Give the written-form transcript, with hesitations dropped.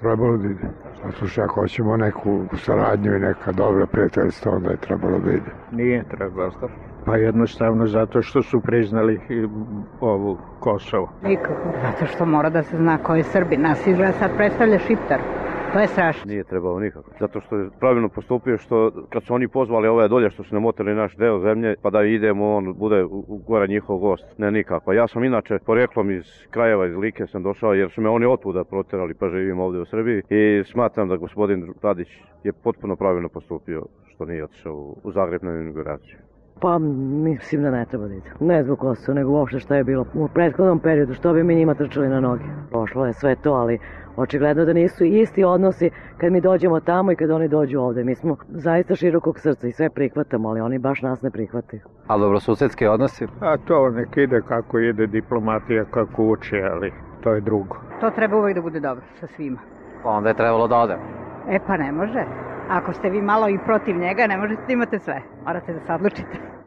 Trebalo da ide. Zato što ako hoćemo neku saradnju i neka dobra prijateljstva, onda je trebalo da ide. Nije trebalo. Pa jednostavno zato što su priznali ovu Kosovo. Nikako, zato što mora da se zna ko je Srbin. Nas izgleda sad predstavlja Šiptar. To je strašno. Nije trebalo nikako. Zato što je pravilno postupio što kad su oni pozvali ove dolje što su namotili naš deo zemlje pa da idemo, on bude gore njihov gost. Ne nikako. Ja sam inače poreklom iz krajeva, iz Like sam došao jer su me oni otvuda proterali pa živim ovdje u Srbiji i smatram da gospodin Tadić je potpuno pravilno postupio što nije otišao u Zagreb na inauguraciju. Pa mislim da ne treba da ide. Ne zbog Kosova, nego uopšte šta je bilo u prethodnom periodu, što bi mi njima trčali na noge. Prošlo je sve to, ali očigledno da nisu isti odnosi kad mi dođemo tamo i kad oni dođu ovde. Mi smo zaista širokog srca i sve prihvatamo, ali oni baš nas ne prihvataju. A dobrosusedski odnosi? A to nek ide kako ide diplomatija, kako uči, ali to je drugo. To treba uvijek da bude dobro sa svima. Onda je trebalo da ode. Pa ne može. Ako ste vi malo i protiv njega, ne možete da imate sve. Morate da se odlučite.